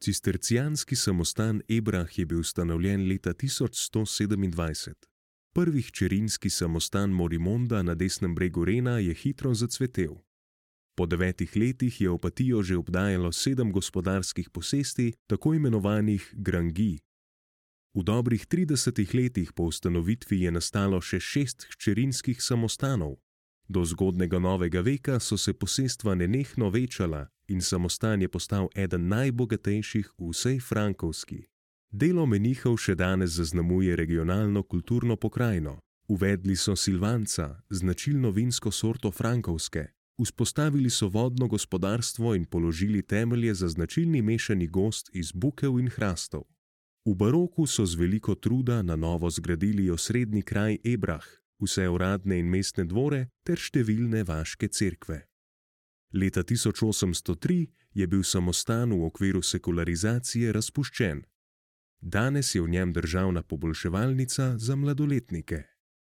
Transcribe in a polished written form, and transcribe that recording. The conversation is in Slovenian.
Cistercijanski samostan Ebrah je bil ustanovljen leta 1127. Prvi hčerinski samostan Morimonda na desnem bregu Rena je hitro zacvetel. Po 9 letih je Opatijo že obdajalo 7 gospodarskih posesti, tako imenovanih grangij. V dobrih 30 letih po ustanovitvi je nastalo še 6 hčerinskih samostanov. Do zgodnega novega veka so se posestva nenehno večala in samostan je postal eden najbogatejših v vsej Frankovski. Delo menihov še danes zaznamuje regionalno kulturno pokrajino. Uvedli so silvanca, značilno vinsko sorto Frankovske, vzpostavili so vodno gospodarstvo in položili temelje za značilni mešani gozd iz bukev in hrastov. V baroku so z veliko truda na novo zgradili osrednji kraj Ebrah, vse uradne in mestne dvore ter številne vaške cerkve. Leta 1803 je bil samostan v okviru sekularizacije razpuščen. Danes je v njem državna poboljševalnica za mladoletnike.